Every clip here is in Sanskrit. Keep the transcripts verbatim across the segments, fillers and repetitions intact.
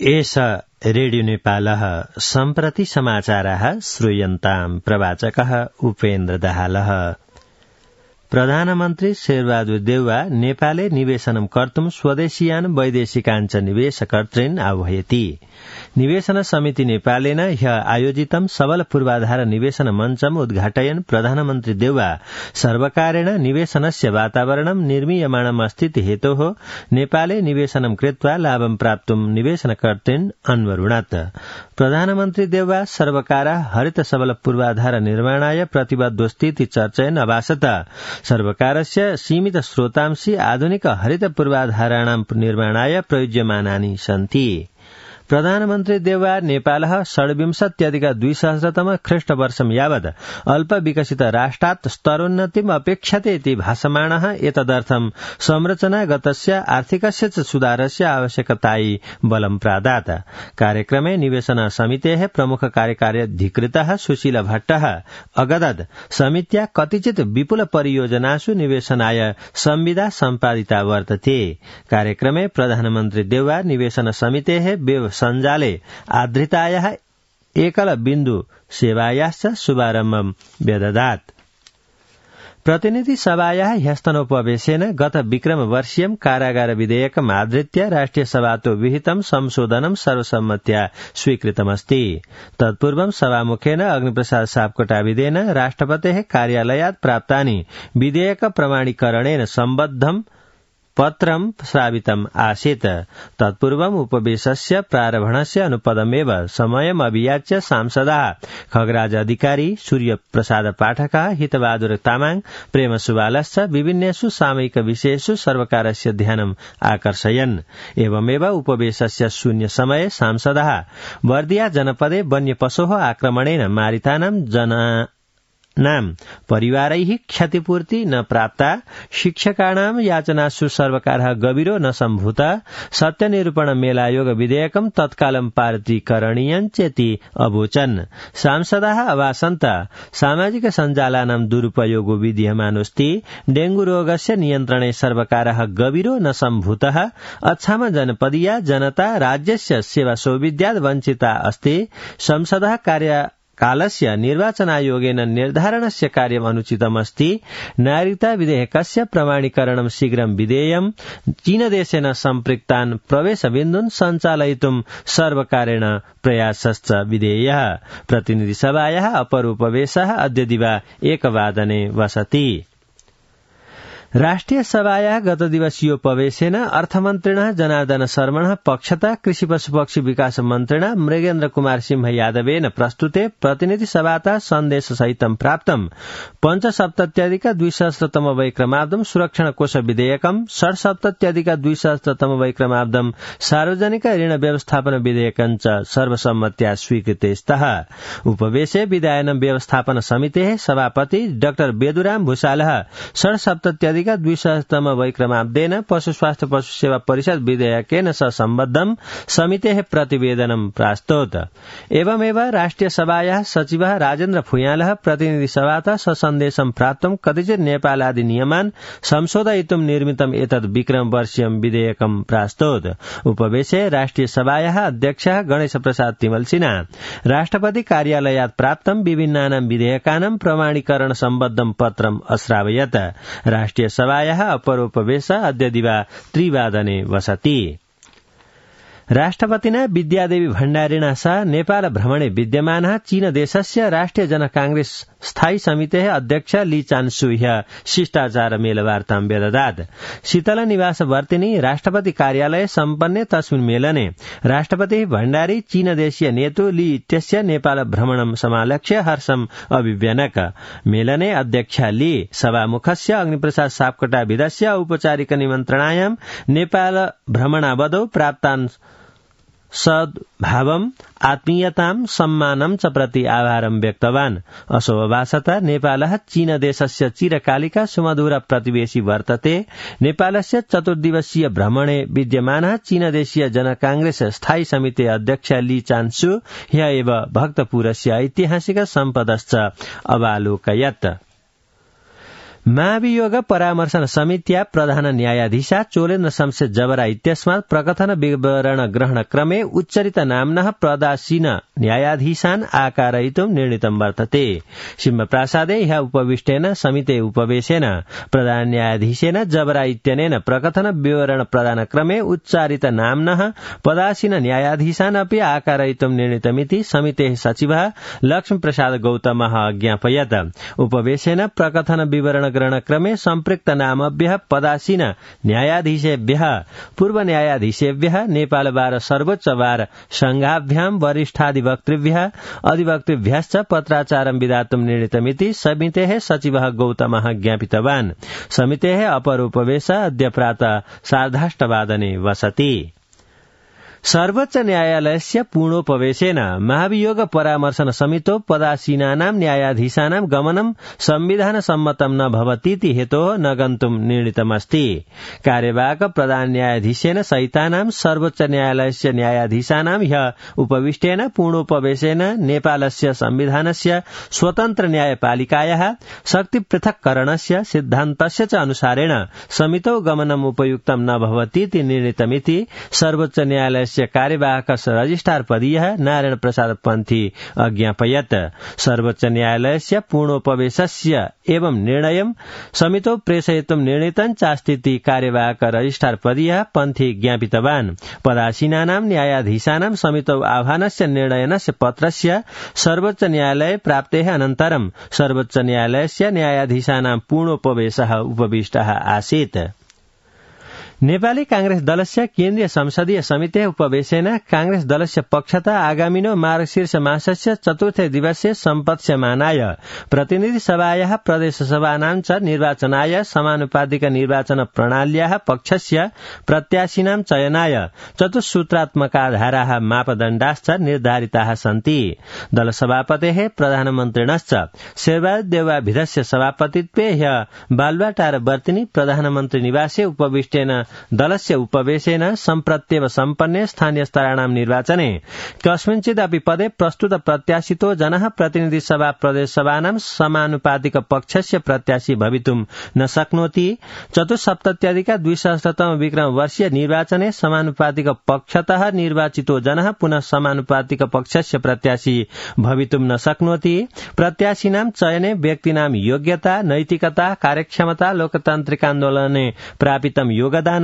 एष रेडियो नेपालः सम्प्रति समाचाराः श्रूयन्ताम् प्रवाचकः उपेन्द्र दाहालः। प्रधानमन्त्री शेरबहादुर देउवा नेपाले निवेशनं कर्तुं स्वदेशीयान् वैदेशिकाञ्च निवेशकर्तॄन् आह्वयति। निवेशन समिति नेपालेन ह्य आयोजितं सबल पूर्वाधार निवेशन मञ्चम् उद्घाटयन् प्रधानमन्त्री देउवा सर्वकारेण निवेशनस्य वातावरणं निर्मीयमाणम् अस्ति हेतोः नेपाले निवेशनं कृत्वा लाभं प्राप्तुं निवेशनकर्तॄन् अन्वरुणत्। प्रधानमन्त्री देउवा सर्वकारः हरित सबल पूर्वाधार निर्माणाय प्रतिबद्धोस्तीति चर्चयन् अभासत सर्वकारस्य सीमित स्रोतांशी आधुनिक हरित पूर्वाधाराणां निर्माणाय प्रयुज्यमानानि सन्ति। प्रधानमन्त्री देउवा नेपालः षड्विंशत्यधिक द्विसहस्रतम ख्रीष्टवर्षं यावत् अल्प विकसित राष्ट्रात् स्तरोन्नतिम् अपेक्षते इति भासमाणः एतदर्थं संरचनागतस्य आर्थिकस्य च सुधारस्य आवश्यकतायै बलं प्रादात्। कार्यक्रमे निवेशन समितेः प्रमुख कार्यकारी अधिकृतः सुशील भट्टः अगदत् समित्या कतिचित् विपुल परियोजनासु निवेशनाय संविदा सम्पादिता वर्तते। कार्यक्रमे प्रधानमन्त्री देउवा निवेशन समितेः वेब सञ्जाले आधृतायाः एकल बिन्दु सेवायाश्च शुभारम्भं व्यददात्। प्रतिनिधि सभायाः ह्यस्तनोपवेशेन गत विक्रम वर्षीयं कारागार विधेयकम् आधृत्य राष्ट्रिय सभातो विहितं संशोधनं सर्वसम्मत्या स्वीकृतमस्ति। तत्पूर्वं सभामुखेन अग्निप्रसाद सापकोटाविदेन राष्ट्रपतेः कार्यालयात् प्राप्तानि विधेयक प्रमाणीकरणेन सम्बद्धं पत्रं श्रावितम् आसीत्। तत्पूर्वम् उपवेशस्य प्रारम्भणस्य अनुपदमेव समयम् अभियाच्य सांसदाः खगराज अधिकारी, सूर्य प्रसाद पाठकः, हितबहादुर तामाङ, प्रेम सुवालश्च विभिन्नेषु सामयिक विषयेषु सर्वकारस्य ध्यानम् आकर्षयन्। एवमेव उपवेशस्य शून्य समये सांसदाः बर्दिया जनपदे वन्यपशोः आक्रमणेन मारितानां जना नाम परिवारैः क्षतिपूर्ति न प्राप्ता, शिक्षकाणां याचनासु सर्वकारः गभीरो न सम्भूत, सत्यनिरूपण मेलायोग विधेयकं तत्कालं पारितीकरणीयं चेति अवोचन्। सांसदाः अभासन्त सामाजिक सञ्जालानां दुरुपयोगो विद्यमानोऽस्ति, डेंगू रोगस्य नियन्त्रणे सर्वकारः गभीरो न सम्भूतः, अछाम जनपदीया जनता राज्यस्य सेवा सौविध्यात् वञ्चिता अस्ति, संसदः कार्य कालस्य निर्वाचनायोगेन निर्धारणस्य कार्यम् अनुचितमस्ति, नागरिकता विधेयकस्य प्रमाणीकरणं शीघ्रं विधेयम्, चीनदेशेन सम्पृक्तान् प्रवेशबिन्दून् सञ्चालयितुं सर्वकारेण प्रयासश्च विधेयः। प्रतिनिधिसभायाः अपरोपवेशः अद्य दिवा एकवादने वसति। राष्ट्रिय सभायाः गत दिवसीयोपवेशेन अर्थमन्त्रिणः जनार्दन शर्मणः पक्षतः कृषि पशुपक्षी विकास मन्त्रिणः मृगेन्द्र कुमार सिंह यादवेन प्रस्तुते प्रतिनिधि सभातः सन्देशसहितं प्राप्तं पञ्चसप्तत्यधिक द्विसहस्रतम वैक्रमाब्दं सुरक्षण कोष विधेयकं, षड्सप्तत्यधिक द्विसहस्रतम वैक्रमाब्दं सार्वजनिक ऋण व्यवस्थापन विधेयकं च सर्वसम्मत्या स्वीकृते स्तः। उपवेशे विधायन व्यवस्थापन समितेः सभापति डाक्टर बेदुराम भूषालः षड्सप्तत्यधिक द्विसहस्रतम वैक्रमाब्देन पशु स्वास्थ्य पशु सेवा परिषद विधेयकेन सह सम्बद्धं समितेः प्रतिवेदनं प्रास्तोत्। एवमेव राष्ट्रिय सभायाः सचिवः राजेन्द्र फुयालः प्रतिनिधि सभातः ससन्देशं प्राप्तं कतिचित् नेपालादि नियमान् संशोधयितुं निर्मितम् एतद् विक्रम वर्षीयं विधेयकं प्रास्तोत्। उपवेशे राष्ट्रिय सभायाः अध्यक्षः गणेश प्रसाद तिमल सिन्हा राष्ट्रपति कार्यालयात् प्राप्तं विभिन्नानां विधेयकानां प्रमाणीकरण सम्बद्धं पत्रम् अश्रावयत्। राष्ट्रिय सभायाः अपरोपवेश अद्य दिवा त्रिवादने वसति। राष्ट्रपतिना विद्यादेवी भण्डारिणा सह नेपाल भ्रमणे विद्यमानः चीन देशस्य राष्ट्रिय जन कांग्रेस स्थायी समितेः अध्यक्ष ली चान्सु ह्य शिष्टाचार मेलवार्तां व्यददात्। शीतल निवास वर्तिनी राष्ट्रपति कार्यालये सम्पन्ने तस्मिन् मेलने राष्ट्रपति भण्डारी चीन देशीय नेतु ली इत्यस्य नेपाल भ्रमणं समालक्ष्य हर्षम् अभिव्यनक। मेलने अध्यक्ष ली सभामुखस्य अग्निप्रसाद सापकोटाविदस्य औपचारिक निमन्त्रणायां नेपाल भ्रमणावधौ प्राप्तान् सद्भावम् आत्मीयतां सम्मानं च प्रति आभारं व्यक्तवान्। असो अभासत नेपालः चीन देशस्य चिरकालिका सुमधुर प्रतिवेशी वर्तते। नेपालस्य चतुर्दिवसीय भ्रमणे विद्यमानः चीन देशीय जन कांग्रेस स्थायी समिति अध्यक्ष ली चान्सु ह्य एव भक्तपुरस्य ऐतिहासिक सम्पदश्च अवालोकयत्। महाभियोग परामर्शन समित्या प्रधान न्यायाधीशा चोलेन्द्र शमशेर जबरा इत्यस्मात् प्रकथन विवरण ग्रहण क्रमे उच्चरित नाम्नः प्रदासीन न्यायाधीशान् आकारयितुं निर्णीतं वर्तते। सिंहप्रासादे ह्यः उपविष्टेन समिते उपवेशेन प्रधान न्यायाधीशेन जबरा इत्यनेन प्रकथन विवरण प्रदान क्रमे उच्चारित नाम्नः पदासीन न्यायाधीशान् अपि आकारयितुं निर्णीतमिति समितेः सचिवः लक्ष्मीप्रसाद गौतमः अज्ञापयत्। उपवेशेन प्रकथन विवरण ग्रहण क्रमे सम्पृक्त नामभ्यः पदासीन न्यायाधीशेभ्यः पूर्व न्यायाधीशेभ्यः नेपाल बार सर्वोच्च बार संघाभ्यां वरिष्ठाधिवक्तृभ्यः अधिवक्तृभ्यश्च पत्राचारं विधातुं निर्णीतमिति समितेः सचिवः गौतमः ज्ञापितवान्। समितेः अपर उपवेश अद्य प्रातः सार्धाष्टवादने वसति। सर्वोच्च न्यायालयस्य पूर्णोपवेशेन महाभियोग परामर्शन समितो पदासीनानां न्यायाधीशानां गमनं संविधान सम्मतं न भवतीति हेतोः न गन्तुं निर्णीतमस्ति। कार्यवाहक प्रधान न्यायाधीशेन सहितानां सर्वोच्च न्यायालयस्य न्यायाधीशानां ह्यः उपविष्टेन पूर्णोपवेशेन नेपालस्य संविधानस्य स्वतन्त्र न्यायपालिकायाः शक्ति पृथक्करणस्य सिद्धान्तस्य च अनुसारेण समितौ गमनम् उपयुक्तं न भवतीति निर्णीतमिति सर्वोच्च न्यायालय कार्यवाहक रजिस्ट्रार पदीयः नारायण प्रसाद पन्थी अज्ञापयत्। सर्वोच्च न्यायालयस्य पूर्णोपवेशस्य एवं निर्णयं समितौ प्रेषयितुं निर्णीतं चास्तीति कार्यवाहक रजिस्ट्रार पदीयः पन्थी ज्ञापितवान्। पदासीनानां न्यायाधीशानां समितौ आह्वानस्य निर्णयनस्य पत्रस्य सर्वोच्च न्यायालये प्राप्तेः अनन्तरं सर्वोच्च न्यायालयस्य न्यायाधीशानां पूर्णोपवेशः उपविष्टः आसीत्। नेपाली कांग्रेस दलस्य केन्द्रीय संसदीय समितेः उपवेशेन कांग्रेस दलस्य पक्षतः आगामिनो मार्गशीर्ष मासस्य चतुर्थे दिवसे सम्पत्स्यमानाय प्रतिनिधि सभायाः प्रदेशसभानां च निर्वाचनाय समानुपातिक निर्वाचन प्रणाल्याः पक्षस्य प्रत्याशिनां चयनाय चतुस्सूत्रात्मकाधाराः मापदण्डाश्च निर्धारिताः सन्ति। दलसभापतेः प्रधानमन्त्रिणश्च शेरबहादुर देउवाभिधस्य सभापतित्वे ह्यः बालुवाटार वर्तिनी प्रधानमन्त्री निवासे उपविष्टेन दलस्य उपवेशेन सम्प्रत्येव सम्पन्ने स्थानीय स्तराणां निर्वाचने कस्मिंश्चिदपि पदे प्रस्तुत प्रत्याशितो जनः प्रतिनिधि सभा प्रदेश सभानां समानुपातिक पक्षस्य प्रत्याशी भवितुं न शक्नोति। चतुस्सप्तत्यधिक द्विसहस्रतम विक्रम वर्षीय निर्वाचने समानुपातिक पक्षतः निर्वाचितो जनः पुनः समानुपातिक पक्षस्य प्रत्याशी भवितुं न शक्नोति। प्रत्याशिनां चयने व्यक्तिनां योग्यता नैतिकता कार्यक्षमता लोकतान्त्रिकान्दोलने प्रापितं योगदान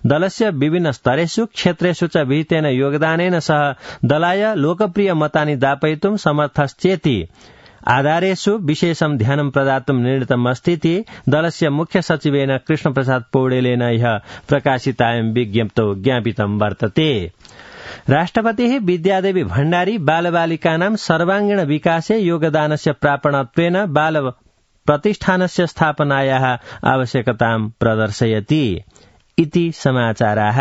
दलस्य विभिन्न स्तरेषु क्षेत्रेषु च विहितेन योगदानेन सह दलाय लोकप्रिय मतानि दापयितुं समर्थश्चेति आधारेषु विशेषं ध्यानं प्रदातुं निर्णीतमस्तीति दलस्य मुख्य सचिवेन कृष्णप्रसाद पौडेलेन ह्यः प्रकाशितायां विज्ञप्तौ ज्ञापितं वर्तते। राष्ट्रपतिः विद्यादेवी भण्डारी बालबालिकानां सर्वाङ्गीण विकासे योगदानस्य प्रापणत्वेन बाल प्रतिष्ठानस्य स्थापनायाः आवश्यकतां प्रदर्शयति इति समाचाराः।